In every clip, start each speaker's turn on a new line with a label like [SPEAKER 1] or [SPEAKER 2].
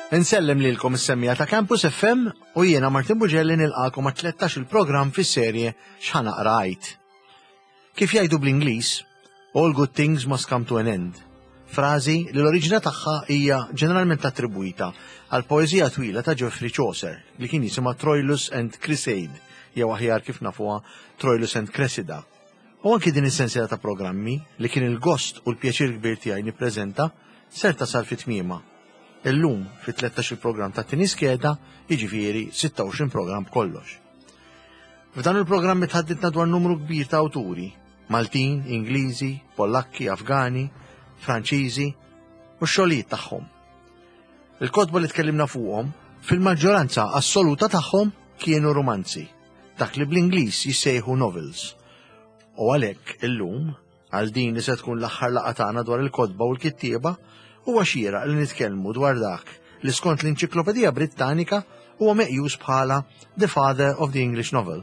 [SPEAKER 1] Insellem lilkom is-semmija ta' Campus FM u jiena Martin Bugelli nilqakom għat 13 il-programm fis-serje X'ħa naqra għid. Kif jgħidu bl-Ingliż, all good things must come to an end. Frażi li l-oriġina tagħha hija ġeneralment attribwita għal poeżija twila ta' Geoffrey Chaucer li kien jisimha Troilus and Criseyde jew aħjar kif nafuha Troilus and Cressida. U anki din is-sensiela ta' programmi, li kien il-gost u l-pjaċir kbir tiegħi nippreżenta, ser tasal fi tmiemha. Illum, fit-tlettax-il programm tat-tieni skeda, jiġifieri 26 programm b'kollox. F'dan il-programmi tħadditna dwar numru kbir ta' awturi, Maltin, Ingliżi, Pollakki, Afgani, Franċiżi, u x-xogħlijiet tagħhom. Il-kotba li tkellimna fuqhom, fil-maġġoranza assoluta tagħhom kienu rumanzi. dak li bl-Ingliż jissejħu novels. U għalhekk illum, għal din li se tkun l-aħħar laqgħa tagħna dwar il-kotba u l-kittieba, huwa xieraq li nitkellmu dwar dak li skont l-Inċiklopedija Brittanika huwa meqjus bħala the father of the English novel.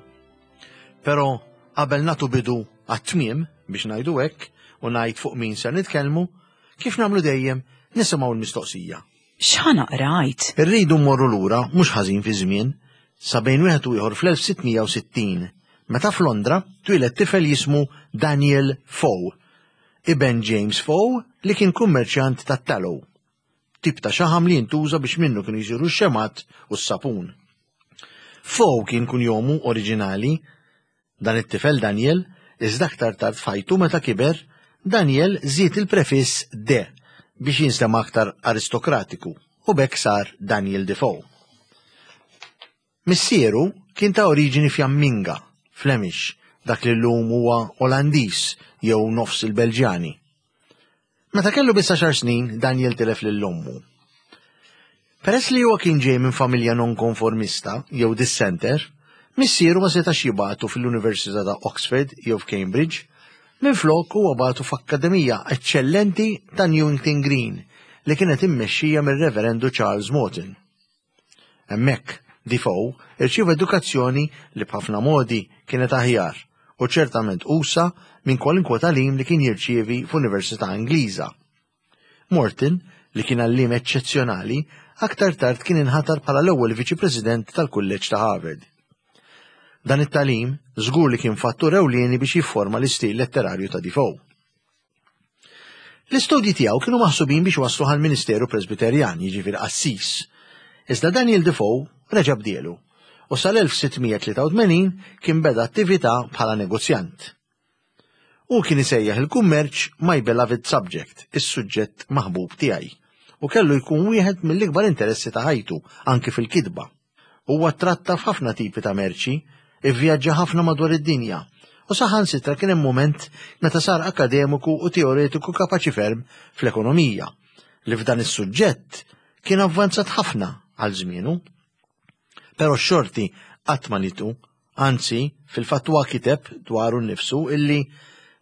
[SPEAKER 1] Però qabel nagħtu bidu għat-tmiem biex ngħidu hekk u ngħid fuq min ser nitkellmu, kif nagħmlu dejjem nisimgħu l-mistoqsija.
[SPEAKER 2] X'ħa naqra għid?
[SPEAKER 1] Irridu mmorru lura mhux ħażin fiż-żmien, sa bejn wieħed u ieħor fl-1660, meta f'Londra twieled tifel jismu Daniel Foe, iben James Foe li kien kummerċjant tat-tallow, tip ta' xaħam li jintuża biex minnu kienu jsiru x-xemgħat u s-sapun. Foe kien kunjomu oriġinali Dan it-tifel Daniel, iżda aktar tard f'ħajtu meta kiber, Daniel żied il-prefiss de biex jinstema' aktar aristokratiku u b'hekk sar Daniel Defoe. Missieru kien ta' oriġini Fjamminga, Flemish, dak li llum huwa Olandiż jew nofs il-Belġjani. Meta kellu biss għaxar snin, Daniel tilef lil ommu. Peress li huwa kien ġej minn familja nonkonformista jew dissenter, missieru ma setax jibagħtu fil-Università ta' Oxford jew f'Cambridge, minflok huwa bagħtu f'akkademija eċċellenti ta' Newington Green li kienet immexxija mir-Reverendu Charles Morton. Hemmhekk, Defoe irċieva edukazzjoni li b'ħafna modi kienet aħjar u ċertament usa' minn kwalunkwe tagħlim li kien jirċievi f'università Ingliża. Morton, li kien għalliem eċċezzjonali, aktar tard kien inħatar bħala l-ewwel Viċi President tal-Kulleġġ ta' Harvard. Dan it-tagħlim żgur li kien fattur ewlieni biex jifforma l-istil letterarju ta' Defoe. L-istudji tiegħu kienu maħsubin biex waslu għal ministeru Presbiterjan, jiġifieri qassis. Iżda Daniel Defoe reġa' bdielu u sal-1683 kien beda attività bħala negozjant. Hu kien isejjaħ il-kummerċ my beloved subject, is-suġġett maħbub tiegħi, u kellu jkun wieħed mill-ikbar interessi ta' ħajtu, anki fil-kitba. Huwa ttratta f'ħafna tipi ta' merċi, ivvjaġġa ħafna madwar id-dinja, u saħansitra kien hemm mument meta sar akkademiku u teoretiku kapaċi ferm fl-ekonomija, li f'dan is-suġġett kien avvanzat ħafna għal żmienu. Però x-xorti qatt ma nitu, anzi, fil-fatt huwa kiteb dwaru nnifsu illi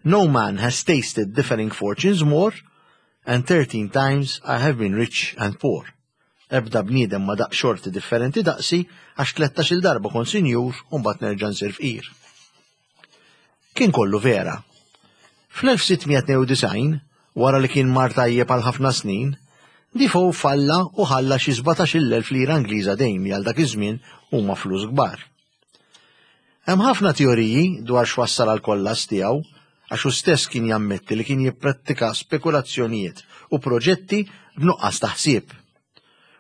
[SPEAKER 1] No man has tasted differing fortunes more, and 13 times I have been rich and poor. Ebda bniedem ma daq xorti differenti daqsi għax tlettax-il darba kont sinjur u mbagħad nerġa' nsir fqir. Kien kollu vera. Fl-1692, wara li kien mar tajjeb għal ħafna snin, Defoe falla u ħalla xi 17,000 lira Ingliża dejn li għal dak iż-żmien huma flus kbar. Hemm ħafna teoriji dwar x'wassal għall-kollass tiegħu, għax hu stess kien jammetti li kien jipprattika spekulazzjonijiet u proġetti b'nuqqas ta' ħsieb.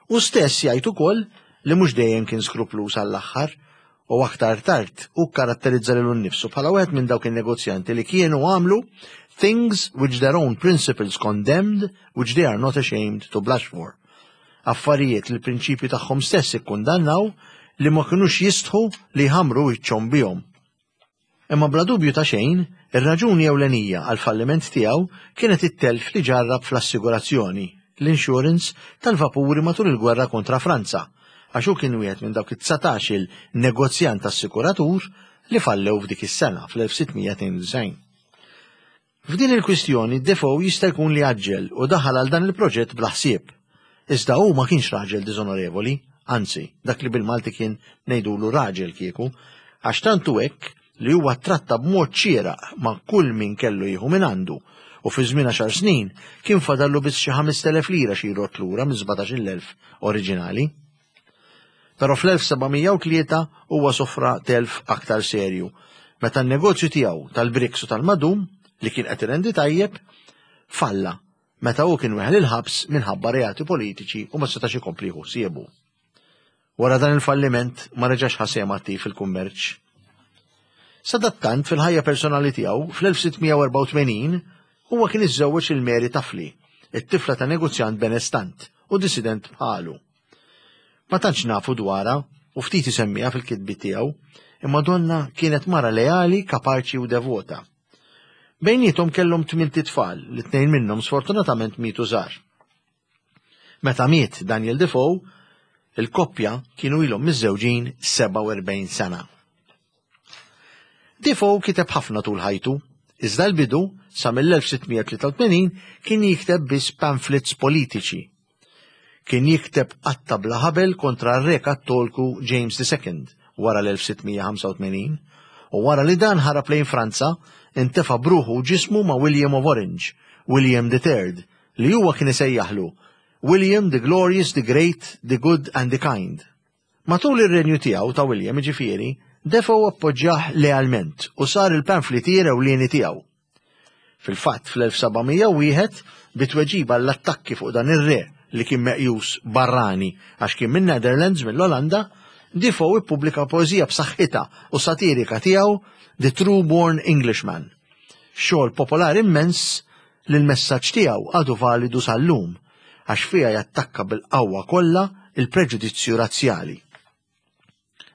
[SPEAKER 1] Hu stess jgħid ukoll li mhux dejjem kien skrupluż għall-aħħar u aktar tard hu kkaratterizza lilu nnifsu bħala wieħed minn dawk in-negozjanti li kienu għamlu things which their own principles condemned which they are not ashamed to blush for. Affarijiet li l-prinċipji tagħhom stess ikkundannaw li ma kinux jistħu li jħammru wiċċhom bihom. Imma bla dubju ta' xejn, ir-raġuni ewlenija għall-falliment tiegħu kienet it-telf li ġarrab fl-assigurazzjoni, l-insurance, tal-vapuri matul il-gwerra kontra Franza, għax hu kien wieħed minn dawk it-dsatax-il negozjant assikuratur li fallew f'dik is-sena, fl-1692. F'din il-kwistjoni Defoe jista' jkun li għaġġel u daħal għal dan il-proġett bla ħsieb. Iżda hu ma kienx raġel diżonorevoli, anzi, dak li bil-Malti kien ngħidulu raġel kieku, għax tant hu hekk li huwa ttratta b'mod xieraq ma' kull min kellu jieħu mingħandu. u fi żmien għaxar snin kien fadallu biss xi 5,000 lira xi jrodd lura mis-17,000 oriġinali. Però fl-1703 huwa sofra telf aktar serju meta n-negozju tiegħu tal-briks u tal-madum li kien qed irendi tajjeb falla meta hu kien weħel il-ħabs minħabba reati politiċi u ma setax ikompli jieħu ħsiebu. Wara dan il-falliment ma reġax ħa sehem attiv fil-kummerċ. Sadattant fil-ħajja personali tiegħu fl-1684 huwa kien iżżewweġ lil Mary Tafli, it-tifla ta' negozjant benestant u dissident bħalu. Ma tantx nafu dwarha u ftit isemmiha fil-kitbiet tiegħu, imma donnha kienet mara leali, kapaċi u devota. Bejniethom kellhom tmint itfal li tnejn minnhom sfortunatament mietu żgħar. Meta miet Daniel Defoe, il-koppja kienu ilhom miżżewġin 47 sena. Defoe kiteb ħafna tul ħajtu, iżda l-bidu sa mill-1683 kien jikteb biss pamphlets politiċi. Kien jikteb qatta bla ħabel kontra r-re Kattolku James II wara l-1685 u wara li dan ħarab lejn Franza intefa' bruħu u ġismu ma' William of Orange, William III, li huwa kien isejjaħlu William the Glorious, the Great, the Good and the Kind. Matul ir-renju tiegħu ta' William, jiġifieri, Defoe appoġġjah lealment u sar il-pamfletier ewlieni tiegħu. Fil-fatt, fl-1701, bi tweġiba għall-attakki fuq dan ir-re li kien meqjus barrani għax kien min-Netherlands, mill-Olanda, Defoe ippubblika poeżija b'saħħitha u satirika tiegħu The True Born Englishman. Xogħol popolari immens li l-messaġġ tiegħu għadu validu sal-lum għax fiha jattakka bil-qawwa kollha l-preġudizzju razzjali.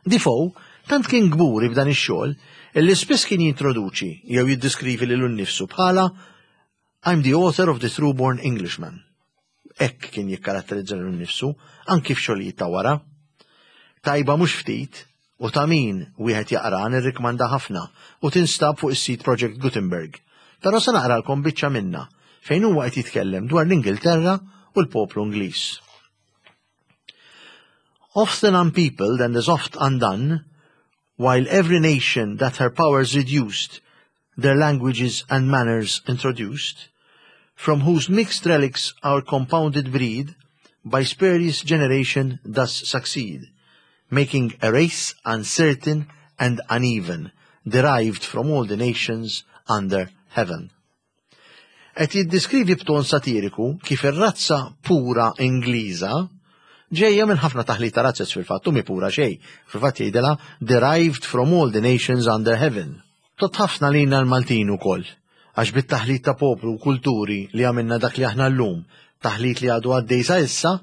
[SPEAKER 1] Defoe tant kien kburi b'dan ix-xogħol illi spiss kien jintroduċi jew jiddiskrivi lilu nnifsu bħala I'm the author of the True Born Englishman. Hekk kien jikkaratterizza lilu nnifsu anki f'xogħlijiet ta' wara. Tajba mhux ftit u ta' min wieħed jaqra nirrikmanda ħafna u tinstab fuq is-sit Project Gutenberg. Però se naqralkom biċċa minnha fejn huwa qed jitkellem dwar l-Ingilterra u l-poplu Ingliż. Often unpeopled and as oft undone, while every nation that her powers reduced, their languages and manners introduced, from whose mixed relics our compounded breed by spurious generation does succeed, making a race uncertain and uneven, derived from all the nations under heaven. Qed jiddiskrivi b'ton satiriku kif ir-razza pura Ingliża ġejja minn ħafna taħlit ta' razzez fil-fatt u mi pura xejn. Fil-fatt jgħidilha derived from all the nations under heaven. Tgħodd ħafna lilna l-Maltin ukoll, għax bit-taħlit ta' poplu u kulturi li għamilna dak li aħna llum, taħlit li għadu għaddej sa issa,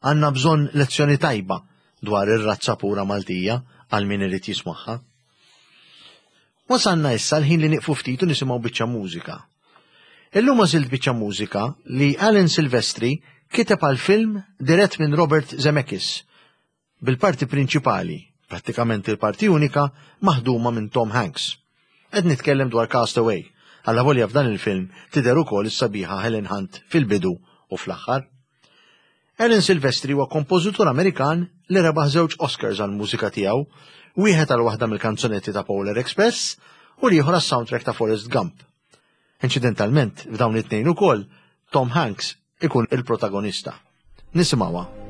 [SPEAKER 1] għandna bżonn lezzjoni tajba dwar ir-razza pura Maltija għal min irid jismagħha. Wasalna issa l-ħin li nieqfu ftit u nisimgħu biċċa mużika. Illum għażilt biċċa mużika li Alan Silvestri kiteb għal film dirett minn Robert Zemeckis bil-parti prinċipali, prattikament il-parti unika, maħduma minn Tom Hanks. Qed nitkellem dwar Cast Away, allavolja f'dan il-film tidher ukoll is-sabiħa Helen Hunt fil-bidu u fl-aħħar. Alan Silvestri huwa kompożitur Amerikan li rebaħ żewġ Oscars għall-mużika tiegħu, wieħed għal waħda mill-kanzunetti ta' Polar Express u l-ieħor għas-soundtrack ta' Forrest Gump. Inċidentalment, f'dawn it-tnejn ukoll, Tom Hanks ikun il-protagonista. Nisimgħuha.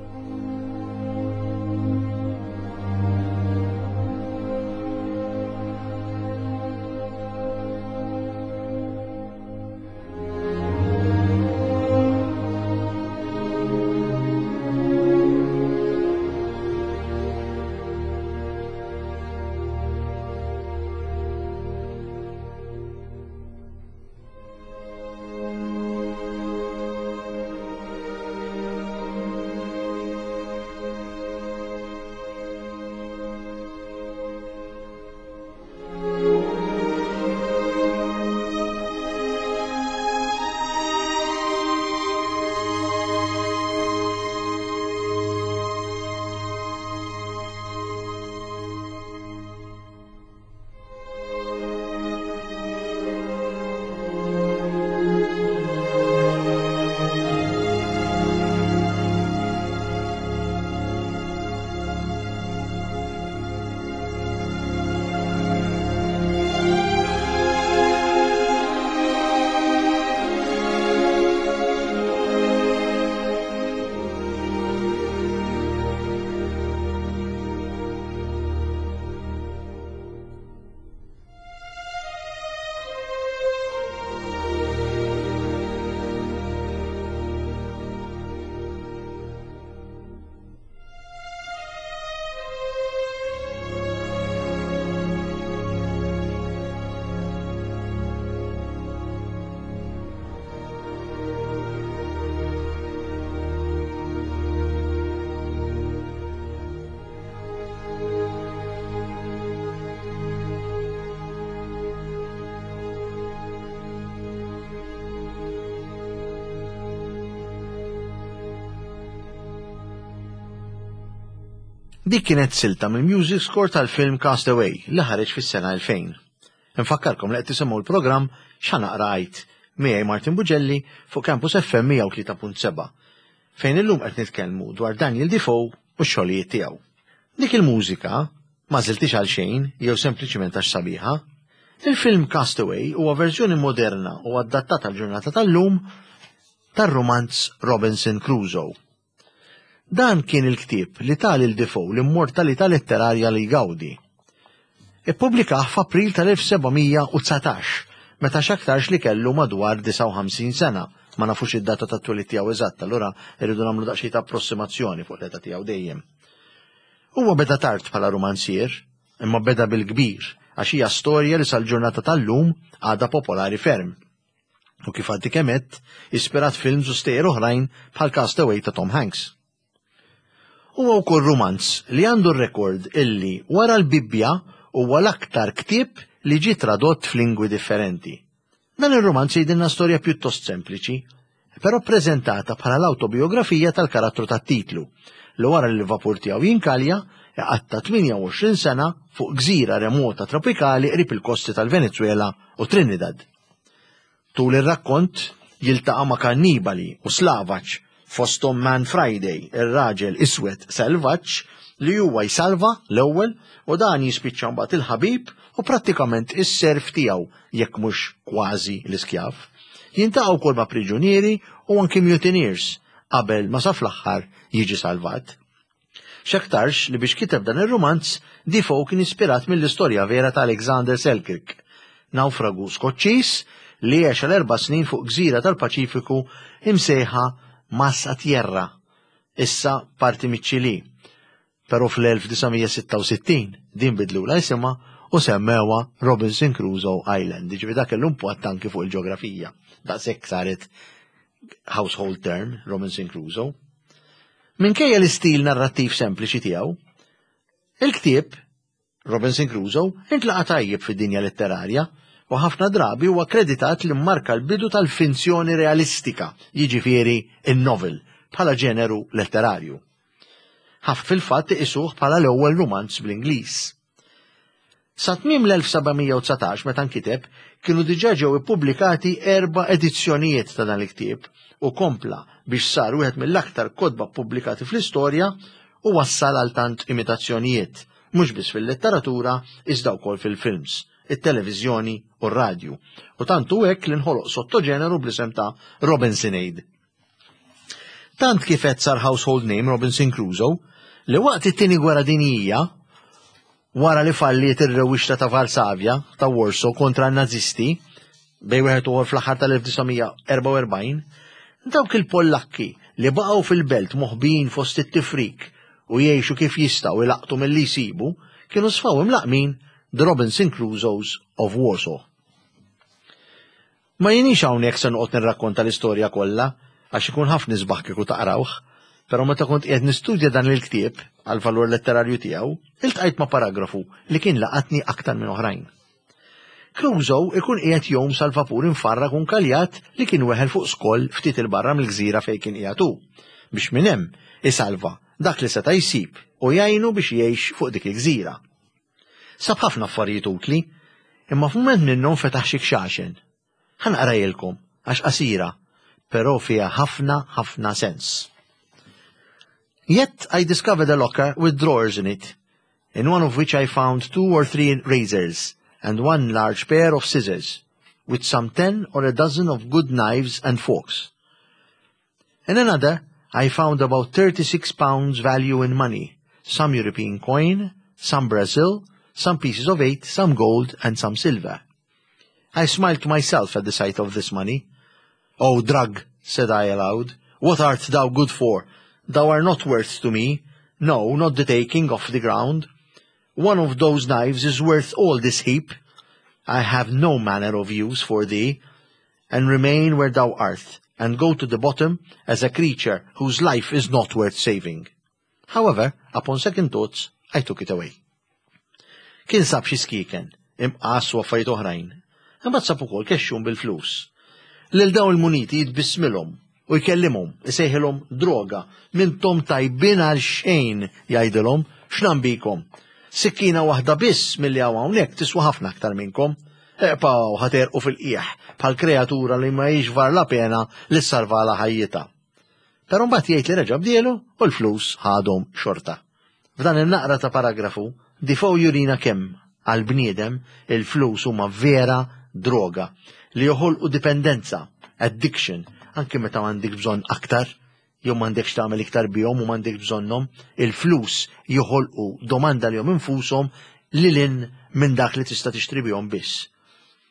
[SPEAKER 1] Dik kienet silta mill-music score tal-film Cast Away li ħareġ fis-sena 2000. Infakkarkom li qed tisimgħu l-programm X'Ħa Naqra Għid miegħi Martin Bugelli fuq Campus FM 103.7 fejn illum qed nitkellmu dwar Daniel Defoe u x-xogħlijiet tiegħu. Dik il-mużika m'għażiltix għal xejn jew sempliċiment għax sabiħa. Il-film Cast Away huwa verżjoni moderna u adattata għall-ġurnata tal-lum tar-rumanz Robinson Crusoe. Dan kien il-ktieb li ta lil Defoe l-immortalità letterarja li jgawdi. Ippubblikah f'April tal-1719, meta x'aktarx li kellu madwar 59 sena, ma nafux id-data tat-twelid tiegħu eżatt, allura rridu nagħmlu daqsxejn ta' approssimazzjoni fuq l-età tiegħu dejjem. Huwa beda tard bħala rumanzier, imma beda bil-kbir, għax hija storja li sal-ġurnata tal-lum għadha popolari ferm. U kif għaddi kemm għedt, ispirat films u stejjer oħrajn bħal Cast Away ta' Tom Hanks. Huwa wkoll rumanz li għandu r-rekord illi wara l-Bibbja huwa l-aktar ktieb li ġie tradott f'lingwi differenti. Dan ir-rumanz jgħidilna storja pjuttost sempliċi, però ppreżentata bħala l-awtobiografija tal-karattru tat-titlu, li wara li l-vapur tiegħu jinkalja, iqatta' 28 sena fuq gżira remota tropikali qrib il-kosti tal-Venezwela u Trinidad. Tul ir-rakkont jiltaqa' ma' kannibali u slavaġ, fosthom Man Friday, ir-raġel iswed selvaġġ li huwa jsalva l-ewwel u dan jispiċċa mbagħad il-ħabib u prattikament is-serf tiegħu jekk mhux kważi l-iskjav. Jiltaqa' wkoll ma' priġunieri u anki mutineers qabel ma sa fl-aħħar jiġi salvat. X'aktarx li biex kiteb dan ir-rumanz, Defoe kien ispirat mill-istorja vera ta' Alexander Selkirk, nawfragu Skoċċiż li għex għal erba' snin fuq gżira tal-Paċifiku imsejħa Más a Tierra, issa parti miċ-Ċilì. Però fl-1966 din bidlulha isimha u semmewha Robinson Crusoe Island. Jiġifieri dak kellu impatt anki fuq il-ġeografija. Daqshekk saret household term, Robinson Crusoe. Minkejja l-istil narrattiv sempliċi tiegħu, il-ktieb Robinson Crusoe intlaqa' tajjeb fid-dinja letterarja u ħafna drabi huwa kkreditat li mmarka l-bidu tal-finzjoni realistika, jiġifieri n-novel, bħala ġeneru letterarju. Ħafna fil-fatt iqisuh bħala l-ewwel rumanz bl-Ingliż. Sa tmiem l-1719 meta nkiteb, kienu diġà ġew ippubblikati erba' edizzjonijiet ta' dan il-ktieb u kompla biex sar wieħed mill-aktar kotba ppubblikati fl-istorja u wassal għal tant imitazzjonijiet, mhux biss fil-letteratura iżda wkoll fil-films, it-televiżjoni u r-radju. U tant hu hekk li nħoloq sottoġeneru bl-isem ta' Robinsonade. Tant kif qed sar household name Robinson Crusoe li waqt it-Tieni Gwerra Dinjija, wara li falliet ir-rewwixta ta' Varsavja, ta' Warsaw kontra n-Nazisti, bejn wieħed u ieħor fl-aħħar tal-1944, dawk il-Pollakki li baqgħu fil-belt moħbijin fost it-tifrik u jgħixu kif jistgħu ilaqtu milli jsibu, kienu sfaw imlaqqmin The Robinson Crusoes of Warsaw. Ma jienix hawnhekk se noqgħod nirrakkonta l-istorja kollha għax ikun ħafna isbaħ kieku taqrawh, però meta kont qiegħed nistudja dan il-ktieb għall-valur letterarju tiegħu, iltqajt ma' paragrafu li kien laqatni aktar minn oħrajn. Crusoe ikun qiegħed jgħum sal-vapur imfarrak u nkaljat li kien weħel fuq skoll ftit 'il barra mill-gżira fejn kien qiegħed hu, biex minn hemm isalva dak li seta' jsib u jgħinu biex jgħix fuq dik il-gżira. Sab ħafna affarijiet utli, imma f'mument minnhom fetaħ xi kxaxen. Ħa naqrajilkom, għax qasira, però fiha ħafna ħafna sens. Yet I discovered a locker with drawers in it, in one of which I found two or three razors and one large pair of scissors, with some ten or a dozen of good knives and forks. In another, I found about 36 pounds value in money, some European coin, some Brazil, some pieces of eight, some gold, and some silver. I smiled to myself at the sight of this money. Oh, drug, said I aloud, what art thou good for? Thou art not worth to me, no, not the taking off the ground. One of those knives is worth all this heap. I have no manner of use for thee, and remain where thou art, and go to the bottom as a creature whose life is not worth saving. However, upon second thoughts, I took it away. Kien sab xi skieken, imqas u affarijiet oħrajn. Imbagħad sab ukoll kexxun bil-flus. Lil dawn il-muniti jitbissmilhom. U jkellimhom, isejħilhom droga. Mintom tajbin għal xejn, jgħidilhom, x'nam bikom. Sikkina waħda biss milli hawn hawnhekk tiswa ħafna aktar minnkom. Eqpaw ħaterqu fil-qiegħ bħal kreatura li ma jiex var la pena li salvala ħajjitha. Però mbagħad jgħid li reġa' bdielu u l-flus ħadhom xorta. F'dan in-naqra ta' paragrafu, Defoe jurina kemm, għall-bniedem, il-flus huma vera droga li joħolqu dipendenza, addiction, anki meta m'għandekx bżonn aktar, jew m'għandekx tagħmel iktar bihom u m'għandekx bżonnhom, il-flus joħolqu domanda lihom infushom lil hinn minn dak li tista' tixtri bihom biss.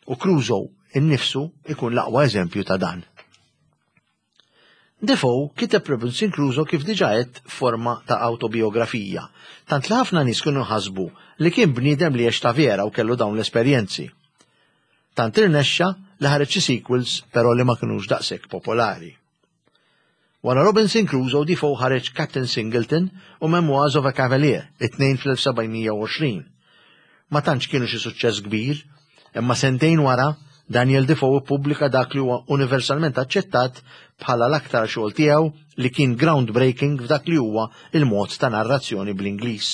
[SPEAKER 1] U Crusoe innifsu ikun l-aqwa eżempju ta' dan. Defoe kiteb Robinson Crusoe kif diġà għedt f'forma ta' awtobiografija, tant li ħafna nies kienu ħasbu li kien bniedem li għex ta' vera u kellu dawn l-esperjenzi. Tant irnexxa li ħareġ xi sequels però li ma kinux daqshekk popolari. Wara Robinson Crusoe Defoe ħareġ Captain Singleton u Memoirs of a Cavalier, it-tnejn fl-1720. Ma tantx kienu xi suċċess kbir, imma sentejn wara, Daniel Defoe ippubblika dak li huwa universalment aċċettat bħala l-aktar xogħol tiegħu li kien groundbreaking f'dak li huwa il-mod ta' narrazzjoni bl-Ingliż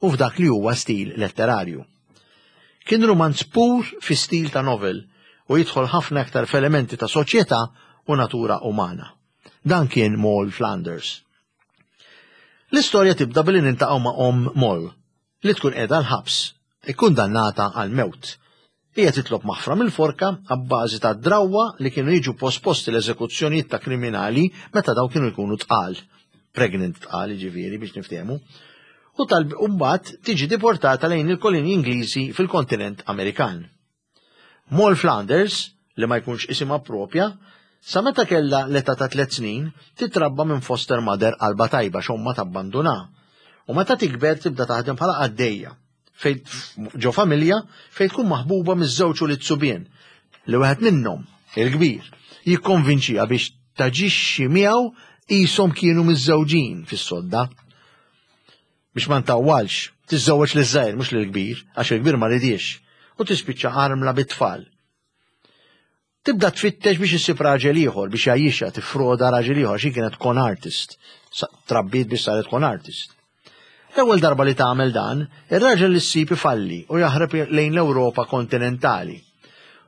[SPEAKER 1] u f'dak li huwa stil letterarju. Kien rumanz pur fi stil ta' novel u jidħol ħafna aktar f'elementi ta' soċjetà u natura umana. Dan kien Moll Flanders. L-istorja tibda billi nintaqgħu ma' omm Moll, li tkun qiegħda l-ħabs, ikkundannata għall-mewt. Hija titlob maħfra mill-forka abbażi ta' drawwa li kienu jiġu posposti l-eżekuzzjonijiet ta' kriminali meta dawn kienu jkunu tqal, pregnant tqal jiġifieri biex niftehmu, u tal mbagħad tiġi deportata lejn il-kolonji Ingliżi fil-kontinent Amerikan. Moll Flanders, li ma jkunx isimha proprja, sa meta kellha l-età ta' tlett snin, titrabba minn foster mother qalbha tajba x'ommha tabbandunha. U meta tikber tibda taħdem bħala qaddejja fejn ġo familja fejn tkun maħbuba miż-żewġ ulied subien li wieħed minnhom, il-kbir, jikkonvinċiha biex taġixxi miegħu qishom kienu miżżewġin fis-sodda. Biex ma ntawwalx, tiżżewweġ liż-żgħir mhux lill-kbir, għax il-kbir ma ridiex, u tispiċċa armla bit-tfal. Tibda tfittex biex issib raġel ieħor biex jgħajjixha, tiffroda raġel ieħor għax hi kienet con artist, trabbiet biex saret con artist. L-ewwel darba li tagħmel dan, ir-raġel li ssib ifalli u jaħreb lejn l-Ewropa kontinentali.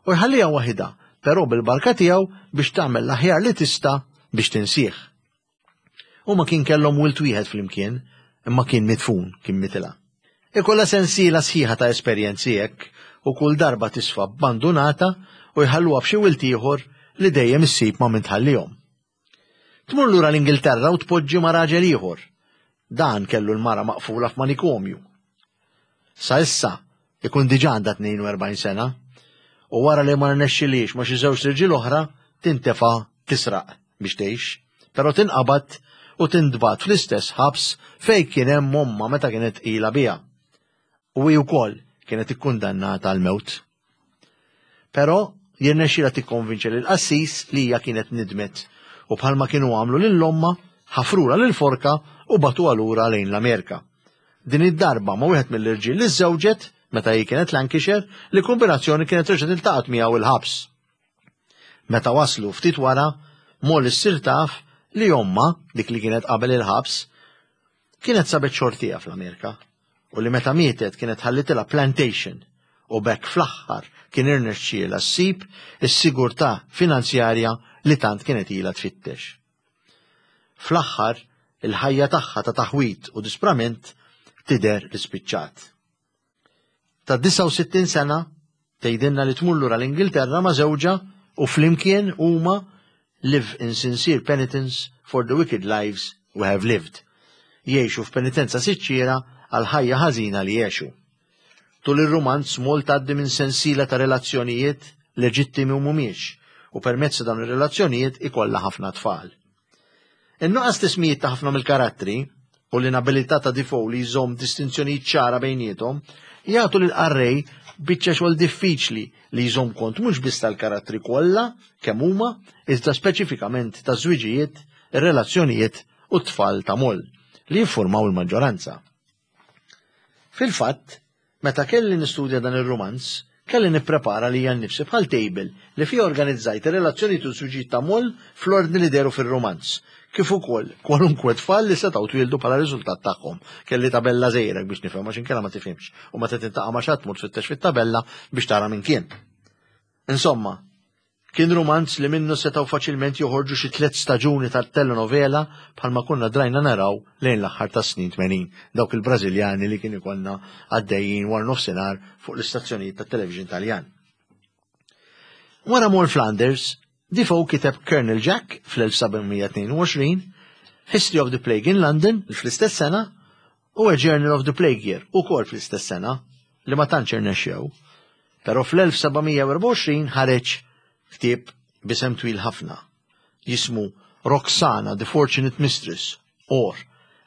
[SPEAKER 1] U jħalliha waħidha, però bil-barka tiegħu biex tagħmel l-aħjar li tista' biex tinsih. Huma kien kellhom wild wieħed flimkien, imma kien midfun, kien mitilha. Ikollha sensiela sħiħa ta' esperjenzi hekk u kull darba tisfa abbandunata u jħalluha b'xi wild ieħor li dejjem issib ma' min tħallihom. Tmur lura l-Ingilterra u tpoġġi ma' raġel ieħor. Dan kellu l-mara maqfula f'manikomju. Sa issa ikun diġà għandha 42 sena u wara li ma rnexxilhiex ma' xi żewġt irġiel oħra tintefa' tisraq biex tgħix, però tinqabad u tintbagħat fl-istess ħabs fejn kien hemm ommha meta kienet tqila biha. U hi wkoll kienet ikkundannata għall-mewt. Però jirnexxilha tikkonvinċi lill-qassis li hija kienet nidmet u bħalma kienu għamlu lil ommha, ħafrulha lill-forka u bagħtuha lura lejn l-Amerika. Din id-darba ma' wieħed mill-irġiel li żżewġet meta hi kienet Lancashire li kombinazzjoni kienet reġgħet iltaqgħet miegħu il-ħabs. Meta waslu ftit wara, Molly ssir taf li ommha, dik li kienet qabel il-ħabs, kienet sabet xortiha fl-Amerika u li meta mietet kienet ħallitilha plantation u b'hekk fl-aħħar kien irnexxielha ssib is-sigurtà finanzjarja li tant kienet ilha tfittex. Fl-aħħar, il-ħajja tagħha ta' taħwid u disprament tidher li spiċċat. Ta' 69 sena tgħidilna li tmur lura l-Ingilterra ma' żewġha u flimkien huma live in sincere penitence for the wicked lives we have lived. Jgħixu f'penitenza siċċiera għal ħajja ħażina li għexu. Tul ir-rumanz Moll tgħaddi minn sensiela ta' relazzjonijiet leġittimi u mhumiex, u permezz ta' dawn ir-relazzjonijiet ikollha ħafna tfal. In-nuqqas t'ismijiet ta' ħafna mill-karattri u l-inabilità ta' Defoe li jżomm distinzjonijiet ċara bejniethom jagħtu lill-qarrej biċċa xogħol diffiċli li jżomm kont mhux biss tal-karattri kollha kemm huma, iżda speċifikament taż-żwiġijiet, ir-relazzjonijiet u t-tfal ta' Moll, li jiffurmaw il-maġġoranza. Fil-fatt, meta kelli nistudja dan ir-rumanz, Kelli nipprepara lija nnifsi bħal table li fiha organizzajt ir-relazzjonijiet u ż-żwiġijiet ta' Moll fl-ordni li dehru fir-rumanz, kif ukoll kwalunkwe tfal li setgħu twieldu bħala riżultat tagħhom. Kelli tabella żgħira biex nifhem għax inkella ma tifhimx u meta tintaqa' ma' xi ħadd tmur tfittex fit-tabella biex tara min kien. Insomma, Kien rumanz li minnu setgħu faċilment joħorġu xi tlett staġuni ta' telenovela bħalma konna drajna naraw lejn l-aħħar tas-snin 80, dawk il-Brażiljani li kien ikollna għaddejjin war nofsinhar fuq l-istazzjonijiet tat-television Taljan. Wara Moll Flanders, Defoe kiteb Colonel Jack fl-1722, History of the Plague in London fl-istess sena u A Journal of the Plague Year ukoll fl-istess sena li ma tantx irnexxew. Però fl-1724 ħareġ ktieb b'isem twil ħafna, jismu Roxana, the Fortunate Mistress, or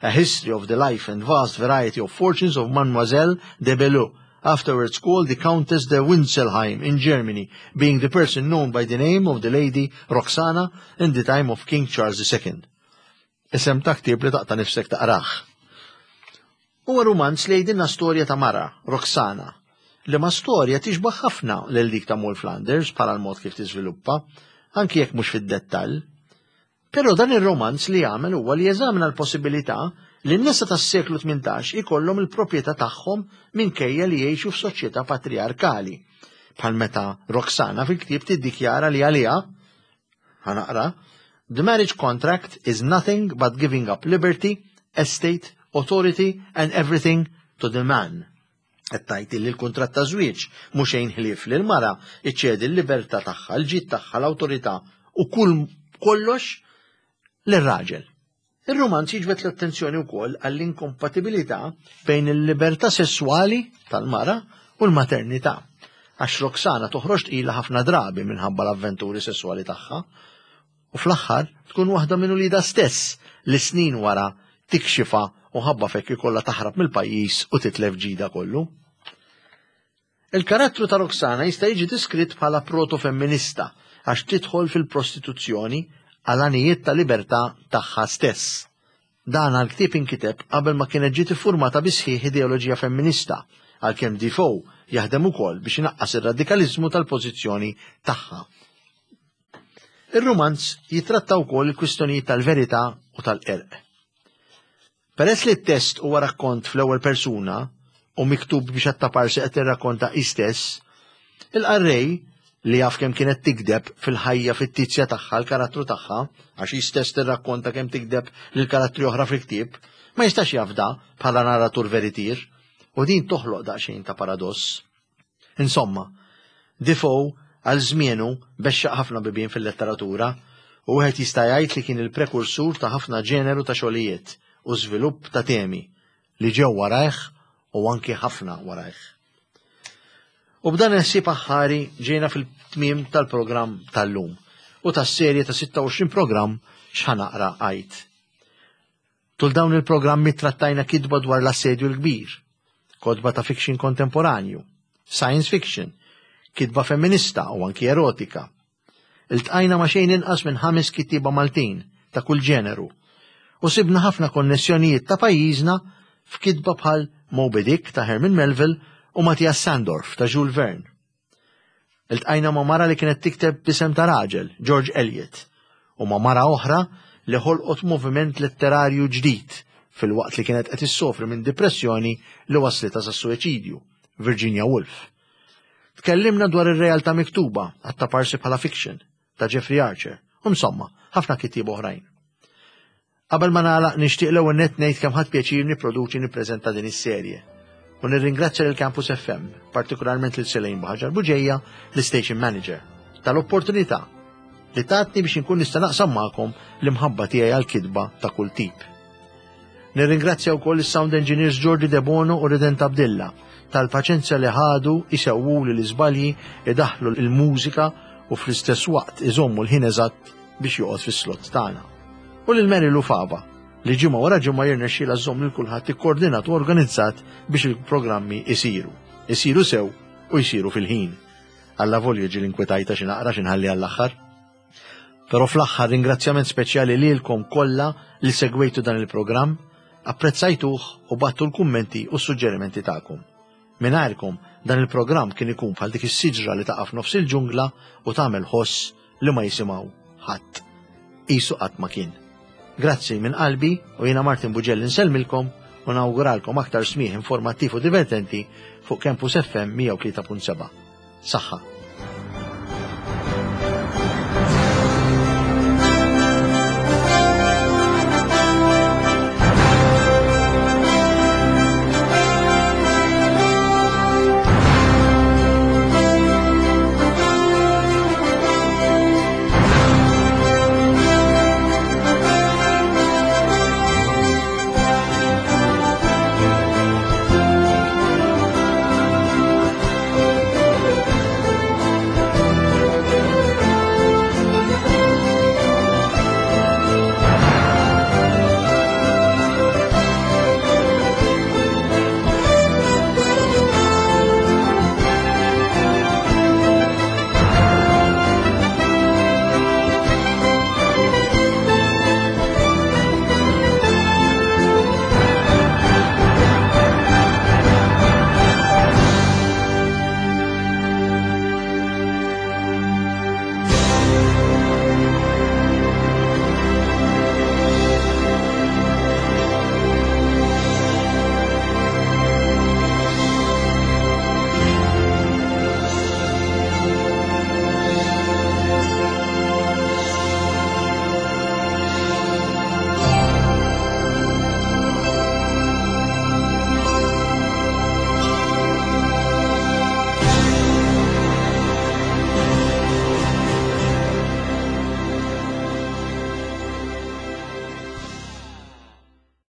[SPEAKER 1] A History of the Life and Vast Variety of Fortunes of Mademoiselle de Belleau, afterwards called the Countess de Winselheim in Germany, being the person known by the name of the Lady Roxana in the time of King Charles II. Isem ta' ktieb li taqta' nifsek taqrah. Huwa rumanz li jgħidilna storja ta' mara, Roxana, liema storja tixbah ħafna lil dik ta' Moll Flanders bħala l-mod kif tiżviluppa, anki jekk mhux fid-dettall. Però dan ir-romanz li jagħmel huwa li jeżamina l-possibilità li n-nisa tas-seklu 18 ikollhom il-proprjetà tagħhom minkejja li jgħixu f'soċjetà patrijarkali. Bħal meta Roxana fil-ktieb tiddikjara li għaliha Ħa naqra, The marriage contract is nothing but giving up liberty, estate, authority and everything to the man. Qed tgħid li l-kuntratt ta' żwieġ mhu xejn ħlief li l-mara iċċedi l-libertà tagħha, l-ġid tagħha, l-awtorità u kull kollox lir-raġel. Ir-rumanz jiġbed l-attenzjoni wkoll għall-inkompatibilità bejn il-libertà sesswali tal-mara u l-maternità, għax Roxana toħroġ tqila ħafna drabi minħabba l-avventuri sesswali tagħha, u fl-aħħar tkun waħda minn uliedha stess li snin wara tikxifha u ħabba f'hekk ikollha taħrab mill-pajjiż u titlef ġidha kollu. Il-karattru ta' Roxana jista' jiġi diskritt bħala proto-femminista għax tidħol fil-prostituzzjoni għal għanijiet ta' libertà tagħha stess. Dan għall-ktieb inkiteb qabel ma kienet ġiet iffurmata bis-sħiħ ideoloġija femminista, għalkemm Defoe jaħdem ukoll biex inaqqas ir-radikaliżmu tal-pożizzjoni tagħha. Ir-rumanz jittratta wkoll il-kwistjonijiet tal-verità u tal-qerq. Peress li t-test huwa rakkont fl-ewwel persuna u miktub biex attaparsi qed tirrakkonta hi stess, il-qarrej, li jaf kemm kienet tigdeb fil-ħajja fittizja tagħha l-karattru tagħha, għax hi stess tirrakkonta kemm tigdeb lil karattri oħra fil-ktieb, ma jistax jafda bħala narratur veritier, u din toħloq daqsxejn ta' paradoss. Insomma, Defoe għal żmienu bexxaq ħafna bibien fil-letteratura u wieħed jista' jgħid li kien il-prekursur ta' ħafna ġeneru ta' xogħlijiet u żvilupp ta' temi li ġew warajh u anki ħafna warajh. U b'dan il-ħsieb aħħari ġejna fil-tmiem tal-programm tal-lum u tas-serje ta' 26 programm x'ħa naqra għid. Tul dawn il-programmi trattajna kitba dwar l-Assedju l-Kbir, kotba ta' fiction kontemporanju, science fiction, kitba femminista u anki erotika. Iltqajna ma' xejn inqas minn ħames kittieba Maltin ta' kull ġeneru u sibna ħafna konnessjonijiet ta' pajjiżna f'kitba bħal Moby Dick ta' Herman Melville u Matthias Sandorf ta' Jules Verne. Iltqajna ma' mara li kienet tikteb b'isem ta' raġel, George Eliot, u ma' mara oħra li ħolqot moviment letterarju ġdid filwaqt li kienet qed issofri minn dipressjoni li wasslitha sas-suwiċidju, Virginia Woolf. Tkellimna dwar ir-realtà miktuba, għat-taparsi bħala fiction, ta' Jeffrey Archer, u insomma, ħafna kittieba oħrajn. Qabel ma nagħlaq nixtieq l-ewwel nett ngħid kemm ħadt pjaċir nipproduċi nippreżenta din is-serje. U nirringrazzja lil Campus FM, partikolarment lil Selene Buhaġar Buġeja, l-Station Manager, tal-opportunità li tatni biex inkun nista' naqsam magħkom l-imħabba tiegħi għall-kitba ta' kull tip. Nirringrazzja wkoll is-sound engineers Jordi Debono u Redent Abdilla tal-paċenzja li ħadu jsewwuli l-iżbalji, idaħħlu l-mużika u fl-istess waqt iżommu l-ħin eżatt biex joqgħod fis-slot tagħna. U lil Mary Lou Fava li ġimgħa wara ġimgħa jirnexxielha żżomm lil kulħadd ikkoordinat u organizzat biex il-programmi isiru. Isiru sew u jsiru fil-ħin. Alla volju ġieli inkwetajta xi naqra xi nħalli għall-aħħar. Però fl-aħħar ringrazzjament speċjali lilkom kollha li segwejtu dan il-programm, apprezzajtuh u battu l-kummenti u s-suġġerimenti tagħkom. Mingħajrkom dan il-programm kien ikun bħal dik is-siġra li taqa' f'nofs il-ġungla u tagħmel ħoss li ma jisimgħu ħadd. Qisu qatt ma kien. Grazzi minn qalbi u jiena Martin Bugelli nsellmilkom u nawguralkom aktar smigħ informattiv u divertenti fuq Campus FM 103.7. Saħħa!